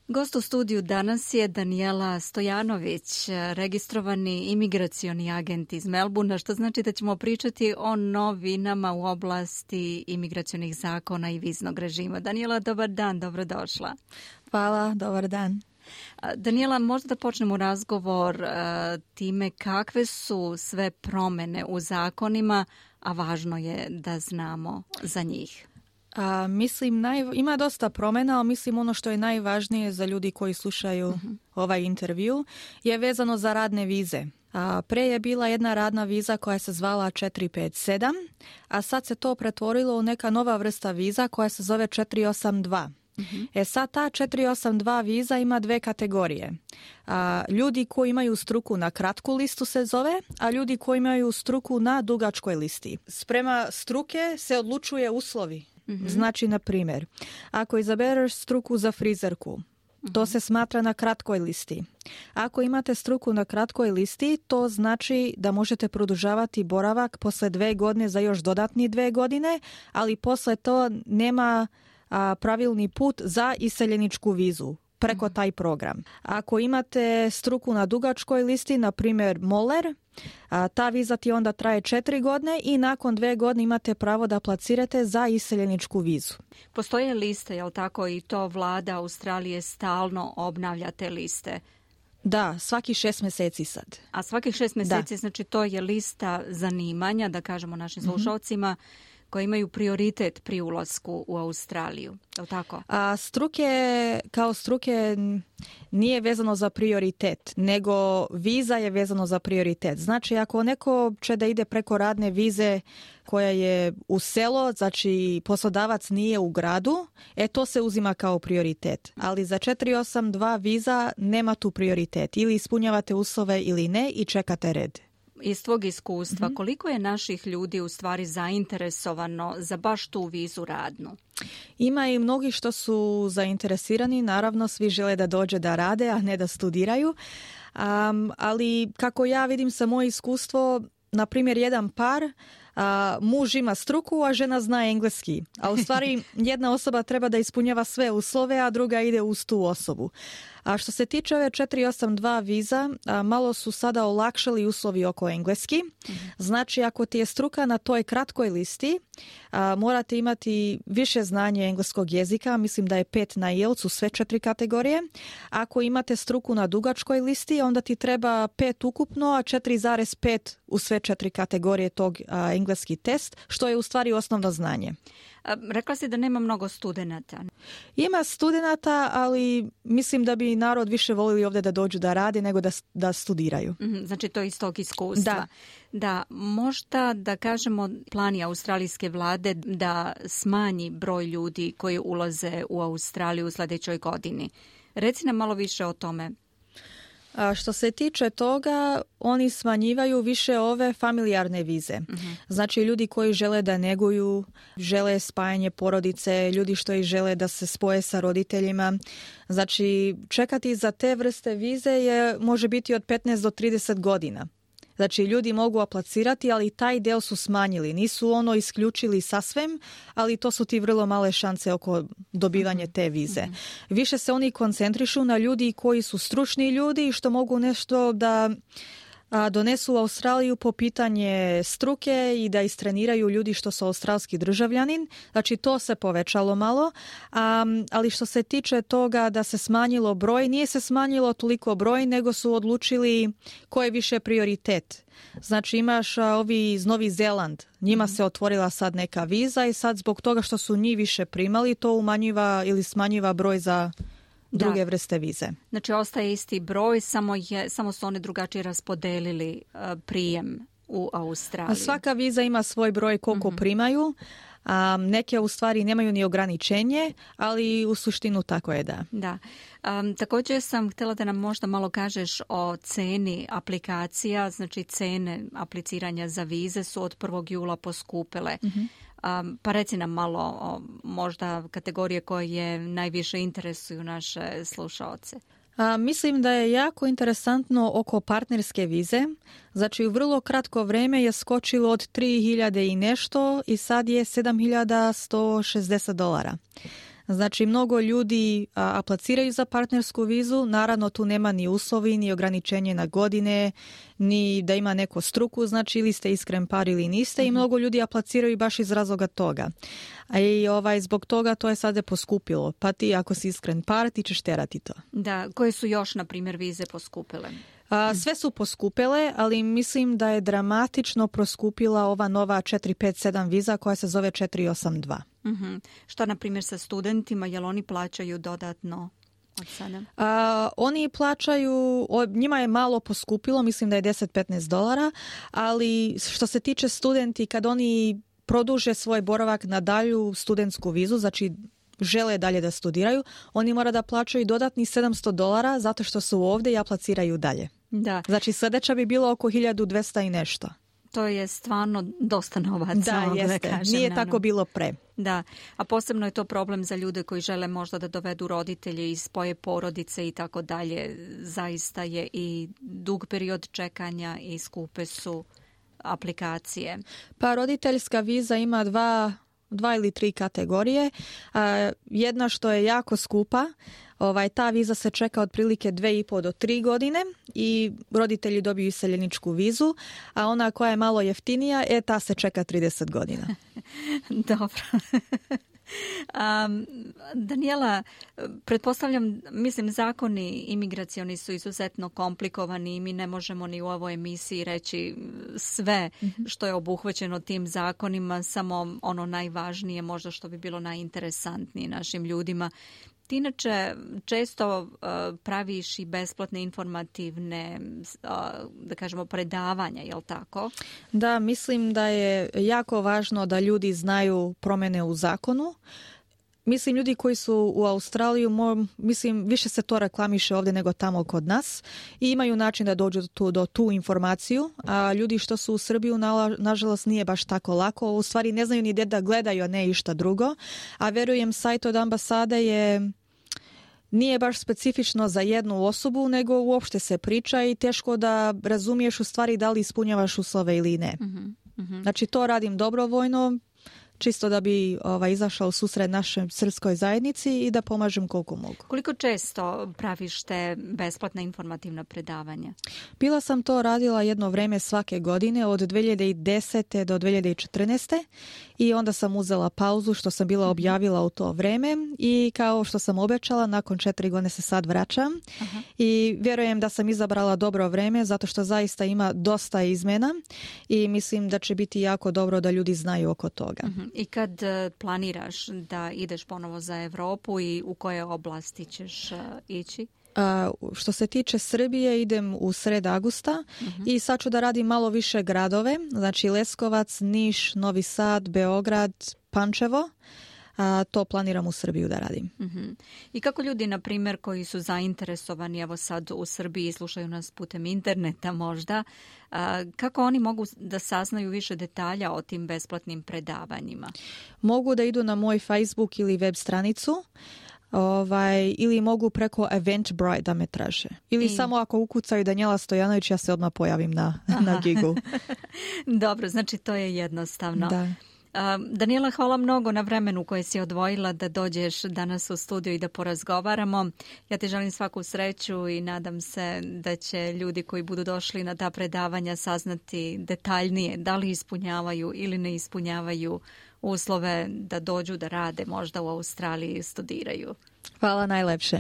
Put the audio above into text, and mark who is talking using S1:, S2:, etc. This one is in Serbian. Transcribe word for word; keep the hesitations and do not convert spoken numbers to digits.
S1: Gost u studiju danas je Danijela Stojanović, registrovani imigracioni agent iz Melbourna, što znači da ćemo pričati o novinama u oblasti imigracionih zakona i viznog režima. Danijela, dobar dan, dobrodošla.
S2: Hvala, dobar dan.
S1: Danijela, možda da počnemo razgovor uh, time kakve su sve promjene u zakonima, a važno je da znamo za njih.
S2: A, mislim, naj, ima dosta promjena, ali mislim ono što je najvažnije za ljudi koji slušaju uh-huh. ovaj intervju je vezano za radne vize. A, pre je bila jedna radna viza koja se zvala četiri pet sedam, a sad se to pretvorilo u neka nova vrsta viza koja se zove četiri osam dva. Uh-huh. E sad ta četiri osam dva viza ima dve kategorije. A, ljudi koji imaju struku na kratku listu se zove, a ljudi koji imaju struku na dugačkoj listi. Sprema struke se odlučuje uslovi. Mm-hmm. Znači, na primjer, ako izabereš struku za frizerku, mm-hmm. to se smatra na kratkoj listi. Ako imate struku na kratkoj listi, to znači da možete produžavati boravak posle dve godine za još dodatni dve godine, ali posle to nema a, pravilni put za iseljeničku vizu preko taj program. Ako imate struku na dugačkoj listi, na primjer moler, a, ta viza ti onda traje četiri godine i nakon dve godine imate pravo da aplicirate za iseljeničku vizu.
S1: Postoje liste, jel tako, i to vlada Australije stalno obnavlja te liste?
S2: Da, svaki šest mjeseci sad.
S1: A svakih šest mjeseci, da. Znači to je lista zanimanja, da kažemo našim slušalcima, mm-hmm. koji imaju prioritet pri ulasku u Australiju, je li tako?
S2: A struke, kao struke nije vezano za prioritet, nego viza je vezano za prioritet. Znači, ako neko će da ide preko radne vize koja je u selo, znači poslodavac nije u gradu, e to se uzima kao prioritet. Ali za četiri osam dva viza nema tu prioritet. Ili ispunjavate uslove ili ne i čekate red.
S1: Iz tvog iskustva, mm-hmm. koliko je naših ljudi u stvari zainteresovano za baš tu vizu radnu?
S2: Ima i mnogi što su zainteresirani, naravno svi žele da dođe da rade, a ne da studiraju. Um, ali kako ja vidim sa moje iskustvo, na primjer jedan par, a, muž ima struku, a žena zna engleski. A u stvari jedna osoba treba da ispunjava sve uslove, a druga ide uz tu osobu. A što se tiče ove četiri osam dva viza, a, malo su sada olakšali uslovi oko engleski. Mm-hmm. Znači, ako ti je struka na toj kratkoj listi, a, morate imati više znanje engleskog jezika, mislim da je pet na I E L T S u sve četiri kategorije. Ako imate struku na dugačkoj listi, onda ti treba pet ukupno, a četiri zarez pet u sve četiri kategorije tog a, engleski test, što je u stvari osnovno znanje.
S1: Rekla si da nema mnogo studenata.
S2: Ima studenata, ali mislim da bi narod više volili ovdje da dođu da rade nego da, da studiraju.
S1: Mm-hmm, znači to iz tog iskustva.
S2: Da.
S1: Da, možda da kažemo plani australijske vlade da smanji broj ljudi koji ulaze u Australiju u sljedećoj godini. Reci nam malo više o tome.
S2: A što se tiče toga, oni smanjivaju više ove familijarne vize. Mm-hmm. Znači ljudi koji žele da neguju, žele spajanje porodice, ljudi što i žele da se spoje sa roditeljima. Znači čekati za te vrste vize je, može biti od petnaest do trideset godina. Znači, ljudi mogu aplicirati, ali taj del su smanjili. Nisu ono isključili sasvim, ali to su ti vrlo male šanse oko dobivanja te vize. Mm-hmm. Više se oni koncentrišu na ljudi koji su stručni ljudi i što mogu nešto da a, donesu u Australiju po pitanje struke i da istreniraju ljudi što su australski državljanin. Znači, to se povećalo malo, a, ali što se tiče toga da se smanjilo broj, nije se smanjilo toliko broj, nego su odlučili ko je više prioritet. Znači, imaš a, ovi iz Novi Zeland, njima mm-hmm. se otvorila sad neka viza i sad zbog toga što su njih više primali, to umanjiva ili smanjiva broj za druge da. vrste vize.
S1: Znači, ostaje isti broj, samo, je, samo su oni drugačije raspodelili uh, prijem u Australiji.
S2: A svaka viza ima svoj broj koliko mm-hmm. primaju. Um, neke u stvari nemaju ni ograničenje, ali u suštinu tako je, da.
S1: Da. Um, također sam htjela da nam možda malo kažeš o ceni aplikacija, znači cene apliciranja za vize su od prvog jula poskupile. Mm-hmm. Um, pa reci nam malo o možda kategorije koje najviše interesuju naše slušaoce.
S2: A, mislim da je jako interesantno oko partnerske vize. Znači, u vrlo kratko vreme je skočilo od tri hiljade i nešto i sad je sedam hiljada sto šezdeset dolara. Znači, mnogo ljudi a, apliciraju za partnersku vizu, naravno tu nema ni uslovi, ni ograničenje na godine, ni da ima neko struku, znači ili ste iskren par ili niste, mm-hmm. i mnogo ljudi apliciraju baš iz razloga toga. A i ovaj, zbog toga to je sada poskupilo, pa ti ako si iskren par, ti ćeš terati to.
S1: Da, koje su još, na primjer, vize poskupile?
S2: A, sve su poskupile, ali mislim da je dramatično poskupila ova nova četiri pet sedam viza koja se zove četiri osam dva.
S1: Mm-hmm. Što, na primjer, sa studentima, jel oni plaćaju dodatno od sada?
S2: A, oni plaćaju, o, njima je malo poskupilo, mislim da je deset do petnaest dolara, ali što se tiče studenti, kad oni produže svoj boravak na dalju studentsku vizu, znači žele dalje da studiraju, oni mora da plaćaju dodatni sedamsto dolara zato što su ovdje i apliciraju dalje.
S1: Da.
S2: Znači sljedeća bi bilo oko hiljadu dvesta i nešto.
S1: To je stvarno dosta novaca.
S2: Da, jeste. Da kažem, nije naravno. Tako bilo pre.
S1: Da, a posebno je to problem za ljude koji žele možda da dovedu roditelje i spoje porodice i tako dalje. Zaista je i dug period čekanja i skupe su aplikacije. Pa
S2: roditeljska viza ima dva, dva ili tri kategorije. A, jedna što je jako skupa, ovaj, ta viza se čeka otprilike dve i po do tri godine i roditelji dobiju iseljeničku vizu, a ona koja je malo jeftinija, e, ta se čeka trideset godina.
S1: Dobro. Um, Daniela, pretpostavljam, mislim, zakoni imigracioni su izuzetno komplikovani i mi ne možemo ni u ovoj emisiji reći sve što je obuhvaćeno tim zakonima, samo ono najvažnije možda što bi bilo najinteresantnije našim ljudima. Ti inače često uh, praviš i besplatne informativne, uh, da kažemo, predavanja, je li tako?
S2: Da, mislim da je jako važno da ljudi znaju promjene u zakonu. Mislim, ljudi koji su u Australiju, mislim, više se to reklamiše ovdje nego tamo kod nas i imaju način da dođu do tu, do tu informaciju, a ljudi što su u Srbiju, na, nažalost, nije baš tako lako. U stvari ne znaju ni gdje da gledaju, a ne išta drugo. A verujem, sajt od ambasade je nije baš specifično za jednu osobu, nego uopšte se priča i teško da razumiješ u stvari da li ispunjavaš uslove ili ne. Mm-hmm. Mm-hmm. Znači, to radim dobrovoljno, čisto da bi ovaj, izašao u susret našoj srpskoj zajednici i da pomažem koliko mogu.
S1: Koliko često praviš te besplatna informativna predavanja?
S2: Bila sam to radila jedno vreme svake godine od dve hiljade desete do dve hiljade četrnaeste i onda sam uzela pauzu što sam bila objavila u to vreme i kao što sam obećala, nakon četiri godine se sad vraćam. Aha. I vjerujem da sam izabrala dobro vreme zato što zaista ima dosta izmena i mislim da će biti jako dobro da ljudi znaju oko toga.
S1: Uh-huh. I kad planiraš da ideš ponovo za Evropu i u koje oblasti ćeš uh, ići?
S2: Uh, što se tiče Srbije, idem u sred avgusta uh-huh. i sad ću da radim malo više gradove, znači Leskovac, Niš, Novi Sad, Beograd, Pančevo. A to planiram u Srbiju da radim.
S1: Uh-huh. I kako ljudi, na primjer, koji su zainteresovani, evo sad u Srbiji, slušaju nas putem interneta možda, a, kako oni mogu da saznaju više detalja o tim besplatnim predavanjima?
S2: Mogu da idu na moj Facebook ili web stranicu, ovaj, ili mogu preko Eventbrite da me traže. Ili I... samo ako ukucaju Danijela Stojanović, ja se odmah pojavim na, na gigu.
S1: Dobro, znači to je jednostavno.
S2: Da.
S1: Daniela, hvala mnogo na vremenu koje si odvojila da dođeš danas u studiju i da porazgovaramo. Ja ti želim svaku sreću i nadam se da će ljudi koji budu došli na ta predavanja saznati detaljnije da li ispunjavaju ili ne ispunjavaju uslove da dođu da rade možda u Australiji i studiraju.
S2: Hvala najlepše.